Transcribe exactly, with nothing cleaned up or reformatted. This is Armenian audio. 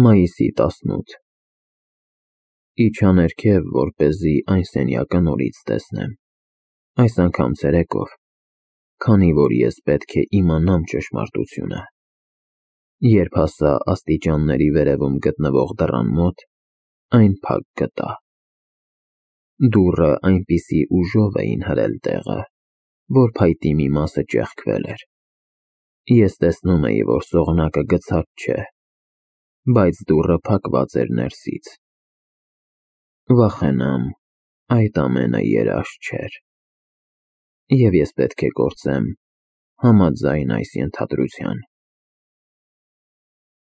Մայիսի տասնութ Իջա ներքև, որպեսզի այն սենյակը նորից տեսնեմ, այս անգամ ցերեկով, քանի որ ես պետք է իմանամ ճշմարտությունը։ Երբ հասա աստիճանների վերևում գտնվող դռան մոտ, այն փակ գտա։ Դուռը այնպիսի ուժով էին հրել տեղը, որ փայտի մի մասը ճեղքվել էր։ Ես տեսնում էի, որ սողնակը գցած չէ, բայց դուռը փակված էր ներսից։ Վախենամ, այդ ամենը երազ չէր, և ես պետք է գործեմ համաձայն այս ենթադրության։